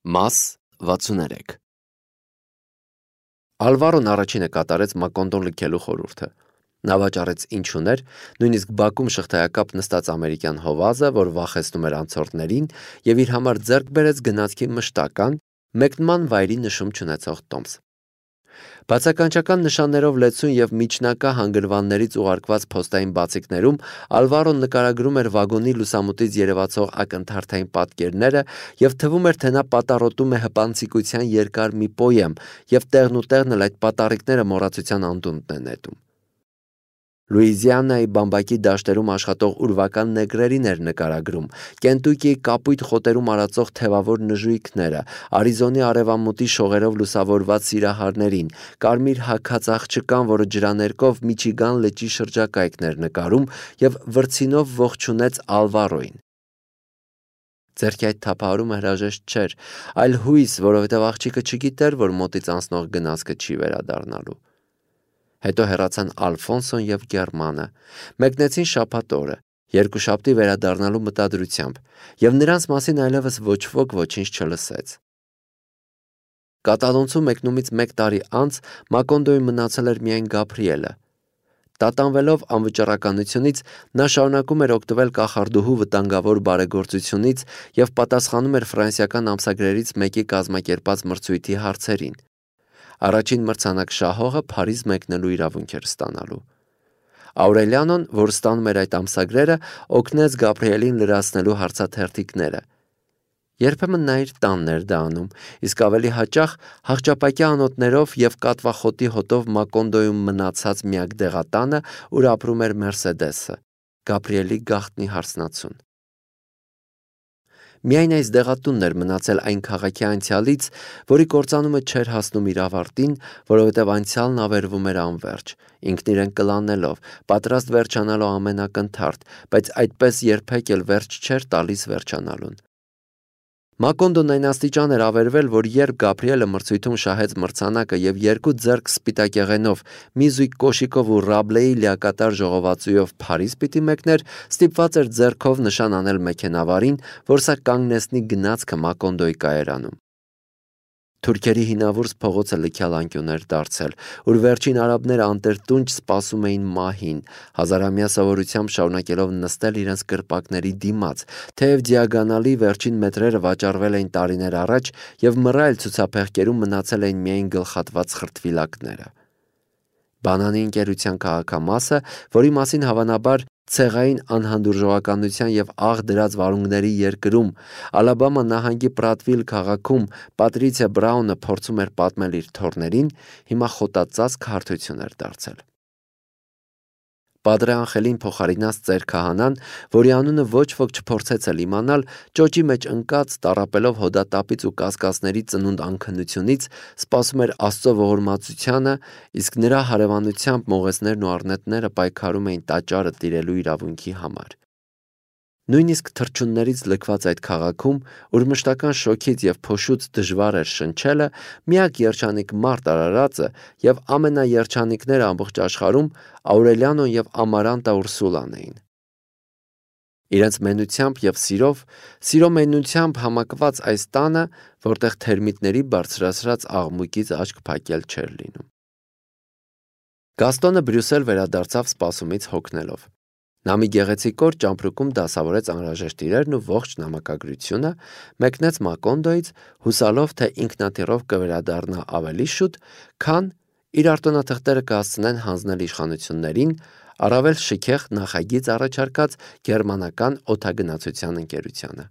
Մաս 63 Ալվարոն առաջինը կատարեց Մակոնդոն լքելու խորհուրդը։ Նա վաճառեց ինչ ուներ, նույնիսկ բակում շղթայակապ նստած ամերիկյան հովազը, որ վախեցնում էր անցորդներին, եւ իր համար ձեռք բերեց գնացքի մշտական, մեկնման վայրի նշում չունեցող տոմս։ Բացականչական նշաններով լեցուն եւ միջնակա հանգրվաններից ուղարկված փոստային բացիկներում Ալվարոն նկարագրում էր վագոնի լուսամուտից երևացող ակնթարթային պատկերները եւ թվում էր, թե նա պատառոտում է հպանցիկության երկար մի պոեմ եւ տեղնուտեղն էլ այդ պատառիկները մոռացության անդունդն է նետում։ Լուիզիանայի բամբակի դաշտերում աշխատող ուրվական նեգրերին էր նկարագրում, Կենտուկիի կապույտ խոտերում արածող թևավոր նժույգները, Արիզոնի արևամուտի շողերով լուսավորված սիրահարներին, կարմիր հագած աղջկան, որը ջրաներկով Միչիգան լճի շրջակայքն էր նկարում եւ վրձինով ողջունեց Ալվարոին։ Ձերքի այդ թափահարումը հրաժեշտ չէր, այլ հույս, որովհետեւ աղջիկը չգիտեր, որ մոտից անցնող գնացքը չի վերադառնալու։ Հետո հեռացան Ալֆոնսոն եւ Գերմանը, մեկնեցին շաբաթ օրը, երկուշաբթի վերադառնալու մտադրությամբ, եւ նրանց մասին այլևս ոչ ոք ոչինչ չլսեց։ Կատալոնցու մեկնումից 1 տարի անց Մակոնդոյում մնացել էր միայն Գաբրիելը։ Տատանվելով անվճռականությունից նա շարունակում էր օգտվել կախարդուհու վտանգավոր բարեգործությունից եւ պատասխանում էր ֆրանսիական ամսագրերից մեկի կազմակերպած մրցույթի հարցերին։ Առաջին մրցանակ շահողը Փարիզ մեկնելու իրավունք էր ստանալու։ Աուրելիանոն, որ ստանում էր այդ ամսագրերը, օգնեց Գաբրիելին լրացնելու հարցաթերթիկները։ Երբեմն նա իր տանն էր դա անում, իսկ ավելի հաճախ հաղճապակյա անոթներով եւ կատվախոտի հոտով Մակոնդոյում մնացած միակ դեղատանը, ուր ապրում էր Մերսեդեսը, Գաբրիելի գաղտնի հարսնացուն։ Միայն այս դեղատունն էր մնացել այն քաղաքի անցյալից, որի կործանումը չէր հասնում իր ավարտին, որովհետև անցյալն ավերվում էր անվերջ, ինքն իրեն կլանելով, պատրաստ վերջանալու ամեն ակնթարթ, բայց այդպես երբեք էլ վերջ չէր տալիս վերջանալուն։ Մակոնդոն այն աստիճան էր ավերվել, որ երբ Գաբրիելը մրցույթում շահեց մրցանակը եւ 2 ձեռք սպիտակեղենով, մի զույգ կոշիկով ու Ռաբլեի լիակատար ժողովածուով Փարիզ պիտի մեկներ, ստիպված էր ձեռքով նշան անել մեքենավարին, որ սա կանգնեցնի գնացքը Մակոնդոյի կայարանում։ Թուրքերի հինավուրց փողոցը լքյալ անկյուն էր դարձել, ուր վերջին արաբները անտերտունջ սպասում էին մահին, հազարամյա սովորությամբ շարունակելով նստել իրենց կրպակների դիմաց, թեև դիագոնալի վերջին մետրերը վաճառվել էին տարիներ առաջ եւ մռայլ ցուցափեղկերում մնացել էին միայն գլխատված խրտվիլակները։ Բանանի ընկերության քաղաքամասը, որի մասին հավանաբար ցեղային անհանդուրժողականության եւ աղ դրած վարունգների երկրում Ալաբամա նահանգի Պրատվիլ քաղաքում Պատրիցիա Բրաունը փորձում էր պատմել իր թոռներին, հիմա խոտածածկ հարթություն էր դարձել։ Պատրե Անխելին փոխարինած ծեր քահանան, որի անունը ոչ ոք չփորձեց էլ իմանալ, ճոճի մեջ ընկած, տառապելով հոդատապից ու կասկածների ծնունդ անքնությունից, սպասում էր Աստծո ողորմածությանը, իսկ նրա հարևանությամբ մողեսներն ու առնետները պայքարում էին տաճարը տիրելու իրավունքի համար։ Նույնիսկ թռչուններից լքված այդ քաղաքում, ուր մշտական շոքից եւ փոշուց դժվար էր շնչելը, միակ երջանիկ մարդ արարածը եւ ամենաերջանիկները ամբողջ աշխարհում Աուրելիանոն եւ Ամարանտա Ուրսուլան էին։ Իրենց մենությամբ եւ սիրո մենությամբ համակված այս տանը, որտեղ թերմիտների բարձրացրած աղմուկից աչք փակել չէր լինում։ Գաստոնը Բրյուսել վերադարձավ սպասումից հոգնելով։ Նա մի գեղեցիկ օր ճամպրուկում դասավորեց անհրաժեշտ իրերն ու ողջ նամակագրությունը, մեկնեց Մակոնդոյից, հուսալով, թե ինքնաթիռով կվերադառնա ավելի շուտ, քան իր արտոնաթղթերը կհասցնեն հանձնել իշխանություններին, առավել շքեղ նախագիծ առաջարկած գերմանական օդագնացության ընկերությանը։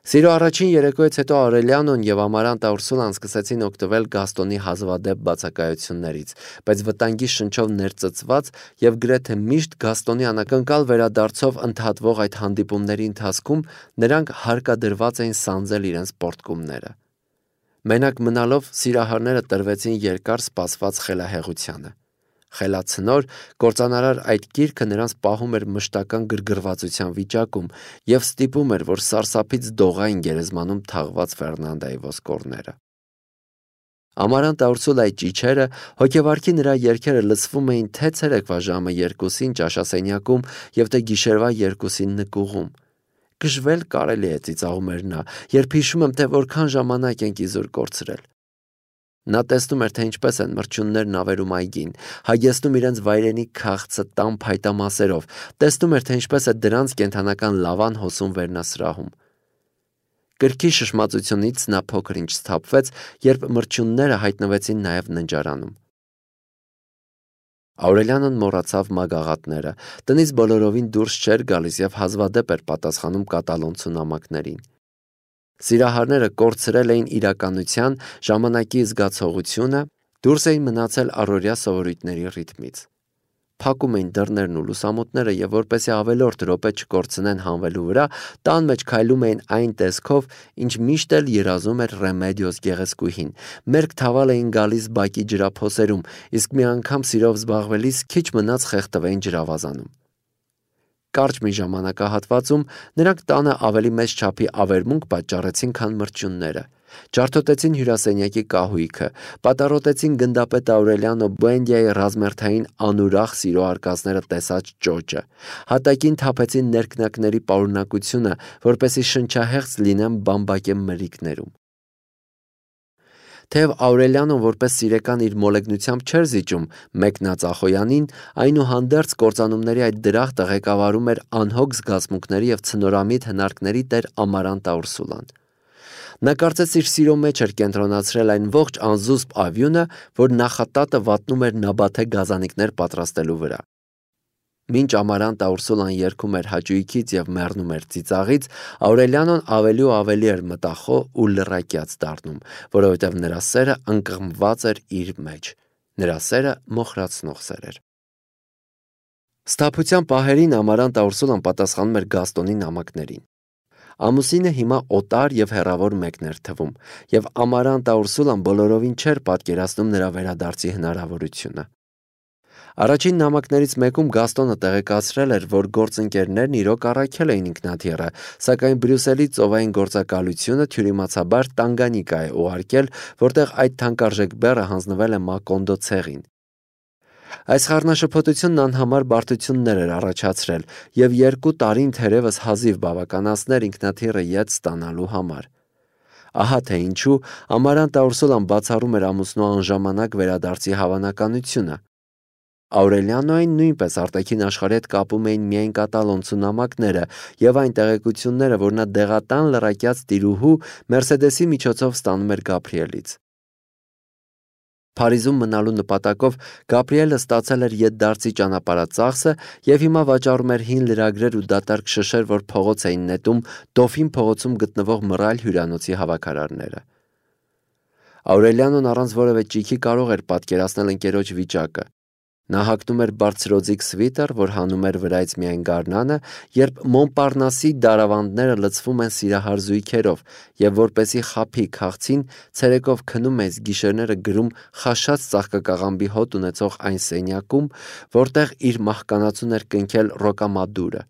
Սիրո առաջին երեկոյից հետո Աուրելիանոն եւ Ամարանտա Ուրսուլան սկսեցին օգտվել Գաստոնի հազվադեպ բացակայություններից, բայց վտանգի շնչով ներծծված եւ գրեթե միշտ Գաստոնի անակնկալ վերադարձով ընդհատվող այդ հանդիպումների ընթացքում նրանք հարկադրված էին սանձել իրենց պորտկումները։ Մենակ մնալով սիրահարները տրվեցին երկար սպասված խելահեղությանը։ Խելացնոր, կործանարար այդ գիրքը նրանց պահում էր մշտական գրգռվածության վիճակում եւ ստիպում էր, որ սարսափից դողային գերեզմանում թաղված Ֆերնանդայի ոսկորները։ Ամարանտա Ուրսուլայի ճիչերը, հոգեվարքի նրա երգերը լսվում էին թե ցերեկվա ժամը 2-ին ճաշասենյակում եւ թե գիշերվա 2-ին նկուղում։ Գժվել կարելի է, ծիծաղում էր նա, երբ հիշում եմ, թե որքան ժամանակ ենք իզուր կորցրել։ Նա տեսնում էր, թե ինչպես են մրջյուններն ավերում այգին, հագեցնում իրենց վայրենի քաղցը տան փայտամասերով, տեսնում էր, թե ինչպես է դրանց կենդանական լավան հոսում վերնասրահում։ Գրքի շշմածությունից նա փոքր-ինչ սթափվեց, երբ մրջյունները հայտնվեցին նաև ննջարանում։ Աուրելյանն մոռացավ մագաղատները, տնից բոլորովին դուրս չէր գալիս և հազվադեպ էր պատասխանում կատալոնցու նամակներին։ Սիրահարները կորցրել էին իրականության, ժամանակի զգացողությունը, դուրս էին մնացել առօրյա սովորույթների ռիթմից։ Փակում էին դռներն ու լուսամուտները և որպեսզի ավելորդ րոպե չկորցնեն հանվելու վրա, տան մեջ քայլում էին այն տեսքով, ինչ միշտ էլ երազում էր Ռեմեդիոս գեղեցկուհին, մերկ թավալ էին գալիս բակի ջրափոսերում, իսկ մի անգամ սիրով զբաղվելիս քիչ մնաց խեղդվեին ջրավազանում։ Կարճ մի ժամանակահատվածում նրանք տանը ավելի մեծ չափի ավերմունք պատճառեցին, քան մրջյունները։ Ջարդոտեցին հյուրասենյակի կահույքը, պատառոտեցին գնդապետ Աուրելիանո Բուենդիայի ռազմերթային անուրախ սիրո արկածները տեսած ճոճը, հատակին թափեցին ներքնակների պարունակությունը, որպեսզի շնչահեղձ լինեն բամբակե մրրիկներում։ Թեև Աուրելիանոն որպես սիրեկան իր մոլեգնությամբ չէր զիջում մեկնածախոյանին, այնուհանդերձ կործանումների այդ դրախտը ղեկավարում էր անհոգ զգացմունքների և ցնորամիտ հնարքների տեր Ամարանտա Ուրսուլան։ Նա կարծես իր սիրո մեջ էր կենտրոնացրել այն ողջ անզուսպ ավյունը, որ նախատատը վատնում էր նաբաթե գազանիկներ պատրաստելու վրա։ Մինչ Ամարանտա Ուրսուլան երգում էր հաճույքից և մեռնում էր ծիծաղից, Աուրելիանոն ավելի ու ավելի էր մտախոհ ու լռակյաց դառնում, որովհետև նրա սերը ընկղմված էր իր մեջ, նրա սերը մոխրացնող սեր էր։ Սթափության պահերին Ամարանտա Ուրսուլան պատասխանում էր Գաստոնի նամակներին։ Ամուսինը հիմա օտար և հեռավոր մեկն էր թվում, և Ամարանտա Ուրսուլան բոլորովին չէր պատկերացնում նրա վերադարձի հնարավորությունը։ Առաջին նամակներից մեկում Գաստոնը տեղեկացրել էր, որ գործընկերներն իրոք առաքել էին ինքնաթիռը, սակայն Բրյուսելի ծովային գործակալությունը թյուրիմացաբար Տանգանիկա է ուղարկել, որտեղ այդ թանկարժեք բեռը հանձնվել է Մակոնդո ցեղին։ Այս խառնաշփոթությունն անհամար բարդություններ էր առաջացրել, և 2 տարին թերևս հազիվ բավականացներ ինքնաթիռը ետ ստանալու համար։ Ահա թե ինչու Ամարանտա Ուրսուլան բացառում էր ամուսնու անժամանակ վերադարձի հավանականությունը։ Աուրելիանոին նույնպես արտաքին աշխարհի հետ կապում էին միայն կատալոնցու նամակները և այն տեղեկությունները, որ նա դեղատան լռակյաց տիրուհու Մերսեդեսի միջոցով ստանում էր Գաբրիելից։ Փարիզում մնալու նպատակով Գաբրիելը ստացել էր ետդարձի ճանապարհածախսը և հիմա վաճառում էր հին լրագրեր ու դատարկ շշեր, որ փողոց էին նետում Դոֆին փողոցում գտնվող մռայլ հյուրանոցի հավաքարարները։ Աուրելիանոն առանց որևէ ճիգի կարող էր պատկերացնել ընկերոջ վիճակը։ Նա հագնում էր բարձրոձիգ սվիտեր, որ հանում էր վրայից միայն գարնանը, երբ Մոնպարնասի դարավանդները լցվում են սիրահար զույգերով, և որպեսզի խաբի քաղցին, ցերեկով քնում է, գիշերները գրում խաշած ծաղկակաղամբի հոտ ունեցող այն սենյակում, որտեղ իր մահկանացուն էր կնքել Ռոկամադուրը։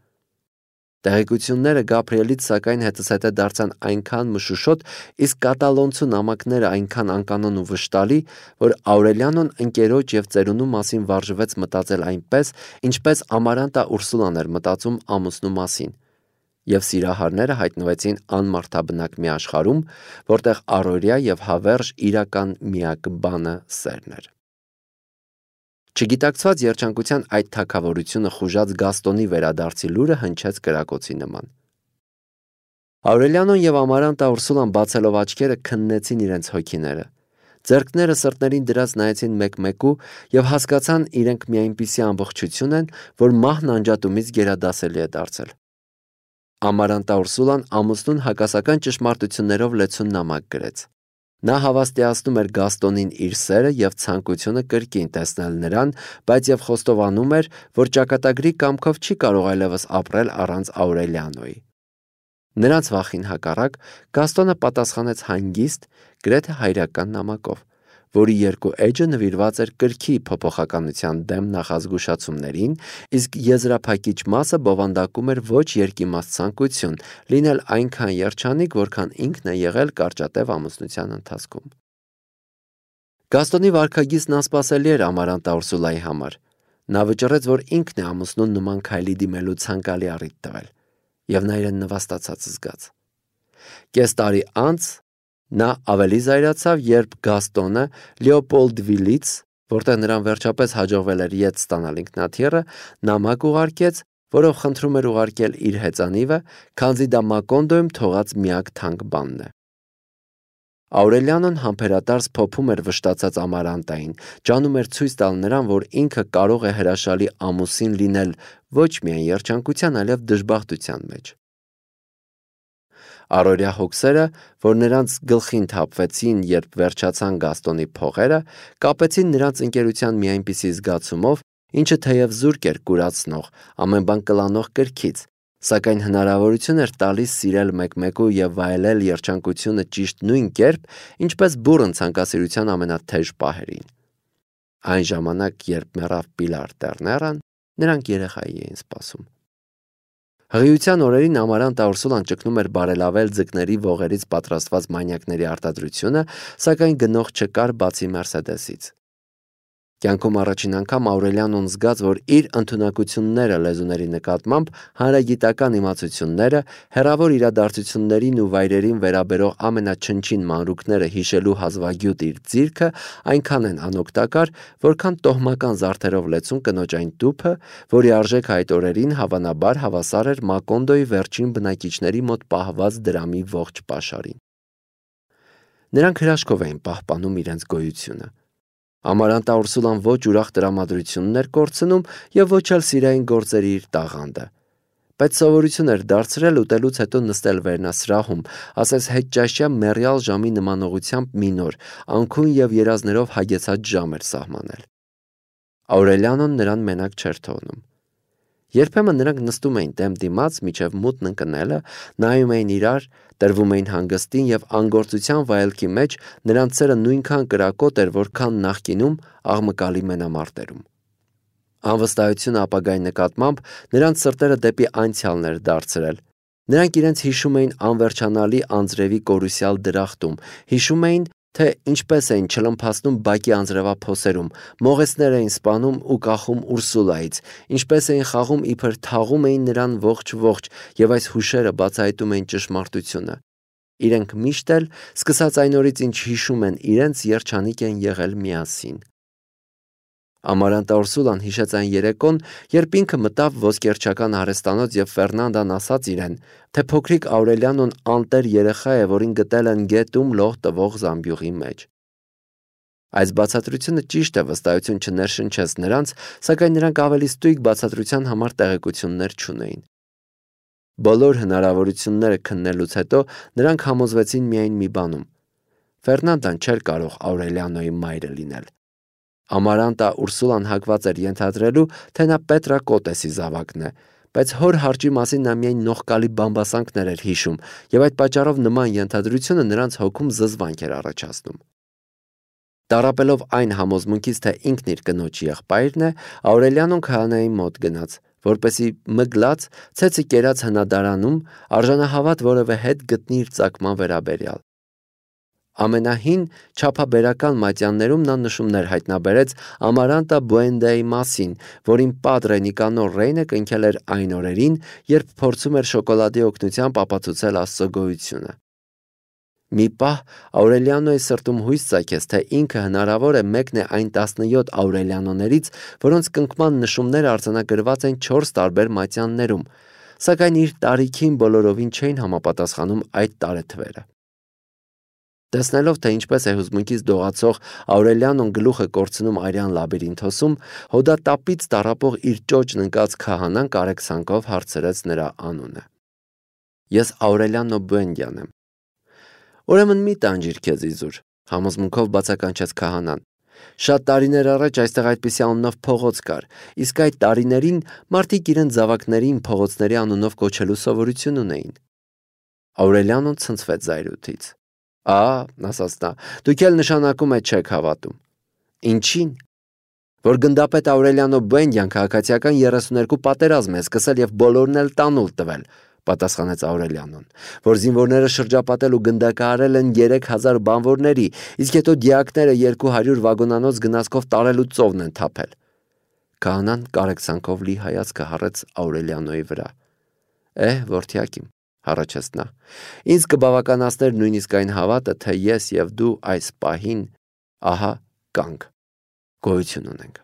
Տեղեկությունները Գաբրիելից սակայն հետզհետե դարձան այնքան մշուշոտ, իսկ կատալոնցու նամակները այնքան անկանոն ու վշտալի, որ Աուրելիանոն ընկերոջ և ծերունու մասին վարժվեց մտածել այնպես, ինչպես Ամարանտա Ուրսուլան էր մտածում ամուսնու մասին, և սիրահարները հայտնվեցին անմարդաբնակ մի աշխարհում, որտեղ առօրյա և հավերժ իրական միակ բանը սերն էր։ Չգիտակցված երջանկության այդ թագավորությունը խուժած Գաստոնի վերադարձի լուրը հնչեց կրակոցի նման։ Աուրելիանոն և Ամարանտա Ուրսուլան բացելով աչքերը քննեցին իրենց հոգիները։ Ձեռքները սրտներին դրած նայեցին մեկ-մեկու և հասկացան իրենք մի այնպիսի ամբողջություն են, որ մահն անջատումից գերադասելի է դարձել։ Ամարանտա Ուրսուլան ամուսնուն հակասական ճշմարտություններով լեցուն նամակ գրեց։ Նա հավաստիացնում էր Գաստոնին իր սերը և ցանկությունը կրկին տեսնել նրան, բայց և խոստովանում էր, որ ճակատագրի կամքով չի կարող այլևս ապրել առանց Աուրելիանոյի։ Նրանց վախին հակառակ Գաստոնը պատասխանեց հանգիստ, գրեթե հայրական նամակով, որի 2 էջը նվիրված էր կրքի փոփոխականության դեմ նախազգուշացումներին, իսկ եզրափակիչ մասը բովանդակում էր ոչ երկիմաստ ցանկություն լինել այնքան երջանիկ, որքան ինքն է եղել կարճատև ամուսնության ընթացքում։ Գաստոնի վարքագիծն անսպասելի էր Ամարանտա Ուրսուլայի համար։ Նա վճռեց, որ ինքն է ամուսնուն նման քայլի դիմելու ցանկալի առիթ տվել։ եւ նա իրեն նվաստացած զգաց։ Կես տարի անց նա ավելի զայրացավ, երբ Գաստոնը Լեոպոլդվիլից, որտեղ նրան վերջապես հաջողվել էր ետ ստանալ ինքնաթիռը, նամակ ուղարկեց, որով խնդրում էր ուղարկել իր հեծանիվը, քանզի դա Մակոնդոյում թողած միակ թանկ բանն է։ Աուրելիանոն համբերատարս փոփում էր վշտացած Ամարանտային, ջանում էր ցույց տալ նրան, որ ինքը կարող է հրաշալի ամուսին լինել ոչ միայն երջանկության, այլև դժբախտության մեջ։ Առօրյա հոգսերը, որ նրանց գլխին թափվեցին, երբ վերջացան Գաստոնի փողերը, կապեցին նրանց ընկերության մի այնպիսի զգացումով, ինչը թեև զուրկ էր կուրացնող, ամեն բան կլանող կրքից, սակայն հնարավորություն էր տալիս սիրել մեկ-մեկու եւ վայելել երջանկությունը ճիշտ նույն կերպ, ինչպես բուռն ցանկասիրության ամենաթեժ պահերին։ Այն ժամանակ, երբ մեռավ Պիլար Տերներան, նրանք երեխայի էին սպասում։ Հղիության օրերին Ամարանտա Ուրսուլան ճգնում էր բարելավել ձկների ողերից պատրաստված մանյակների արտադրությունը, սակայն գնող չկար բացի Մերսեդեսից։ Կյանքում առաջին անգամ Աուրելիանոն զգաց, որ իր ընդունակությունները լեզուների նկատմամբ, հանրագիտական իմացությունները, հեռավոր իրադարձություններին ու վայրերին վերաբերող ամենաչնչին մանրուքները հիշելու հազվագյուտ իր ձիրքը այնքան են անօգտակար, որքան տոհմական զարդերով լեցուն կնոջ այն տուփը, որի արժեքը այդ օրերին հավանաբար հավասար էր Մակոնդոյի վերջին բնակիչների մոտ պահված դրամի ողջ պաշարին։ Նրանք հրաշքով էին պահպանում իրենց գոյությունը։ Ամարանտա Ուրսուլան ոչ ուրախ տրամադրությունն էր կորցնում եւ ոչ էլ սիրային գործերի իր տաղանդը։ Բայց սովորություն էր դարձրել ուտելուց հետո նստել վերնասրահում, ասես հետճաշյա մեռյալ ժամի նմանողությամբ մի նոր, անքուն եւ երազներով հագեցած ժամ էր սահմանել։ Աուրելիանոն նրան մենակ չէր թողնում։ Երբեմն նրանք նստում էին դեմ դիմաց մինչև մութն ընկնելը, նայում էին իրար, տրվում էին հանգստին եւ անգործության վայելքի մեջ նրանց սերը նույնքան կրակոտ էր, որքան նախկինում աղմկալի մենամարտերում։ Անվստահությունը ապագայի նկատմամբ նրանց սրտերը դեպի անցյալն էր դարձրել։ Նրանք իրենց հիշում էին անվերջանալի անձրևի կորուսյալ դրախտում, հիշում էին, թե ինչպես էին չլմփացնում բակի անձրևափոսերում, մողեսներ էին սպանում ու կախում Ուրսուլայից, ինչպես էին խաղում իբր թաղում էին նրան ողջ եւ այս հուշերը բացահայտում էին ճշմարտությունը։ Իրենք միշտ էլ, սկսած այն օրից, ինչ հիշում են, իրենց երջանիկ են եղել միասին։ Ամարանտա Ուրսուլան հիշեց այն երեկոն, երբ ինքը մտավ ոսկերչական արհեստանոց եւ Ֆերնանդան ասաց իրեն, թե փոքրիկ Աուրելիանոն անտեր երեխա է, որին գտել են գետում լող տվող զամբյուղի մեջ։ Այս բացատրությունը ճիշտ է, վստահություն չներշնչեց նրանց, սակայն նրանք ավելի ստույգ բացատրության համար տեղեկություններ չունեին։ Բոլոր հնարավորությունները քննելուց հետո նրանք համոզվեցին միայն մի բանում. Ֆերնանդան չէր կարող Աուրելիանոյի մայրը լինել։ Ամարանտա Ուրսուլան հակված էր ենթադրելու, թե նա Պետրակոտեսի զավակն է, բայց հոր հարճի մասին նա միայն նողկալի բամբասանքներ էր հիշում, եւ այդ պատճառով նման ենթադրությունը նրանց հոգում զզվանք էր առաջացնում։ Տառապելով այն համոզմունքից, թե ինքն իր կնոջ եղբայրն է, Աուրելիանոն քահանայի մոտ գնաց, որպեսի մգլած ցեցը կերած հնադարանում արժանահավատ որևէ հետ գտնի իր ծագման վերաբերյալ։ Ամենահին չափաբերական մատյաններում նա նշումներ հայտնաբերեց Ամարանտա Բուենդեի մասին, որին Պատրե Նիկանոր Ռեյնը կնքել էր այն օրերին, երբ փորձում էր շոկոլադի օգնությամբ ապացուցել Աստծո գոյությունը։ Մի պահ Աուրելիանոյի սրտում հույս ծագեց, թե ինքը հնարավոր է մեկն է այն 17 Աուրելիանոներից, որոնց կնքման նշումները արձանագրված են 4 տարբեր մատյաններում, սակայն իր տարիքին բոլորովին չէին համապատասխանում այդ տարեթվերը։ Տեսնելով, թե ինչպես է հուզմունքից դողացող Աուրելիանոն գլուխը կորցնում արյան լաբիրինթոսում, հոդատապից տառապող իր ճոճն ընկած քահանան կարեկցանքով հարցրեց նրա անունը։ Ես Աուրելիանո Բուենդյան եմ։ Ուրեմն մի տանջիր քեզ իզուր, համոզմունքով բացականչեց քահանան։ Շատ տարիներ առաջ այստեղ այդպիսի անունով փողոց կար, իսկ այդ տարիներին մարդիկ իրենց զավակներին փողոցների անունով կոչելու սովորություն ունեին։ Աուրելիանոն ցնցվեց զայրույթից։ Ասաց նա, դուք էլ նշանակում եք չեք հավատում։ Ինչին։ Որ գնդապետ Աուրելիանո Բուենդյան քաղաքացիական 32 պատերազմ է սկսել եւ բոլորն էլ տանուլ տվել, պատասխանեց Աուրելիանոն, որ զինվորները շրջապատել ու գնդակահարել են 3000 բանվորների, իսկ հետո դիակները 200 վագոնանոց գնացքով տարել ու ծովն են թափել։ Քահանան կարեկցանքով լի հայացքը հառեց Աուրելիանոյի վրա։ Որդյակ իմ, հառաչեց նա, ինձ կբավականացներ նույնիսկ այն հավատը, թե ես և դու այս պահին ահա կանք, գոյություն ունենք։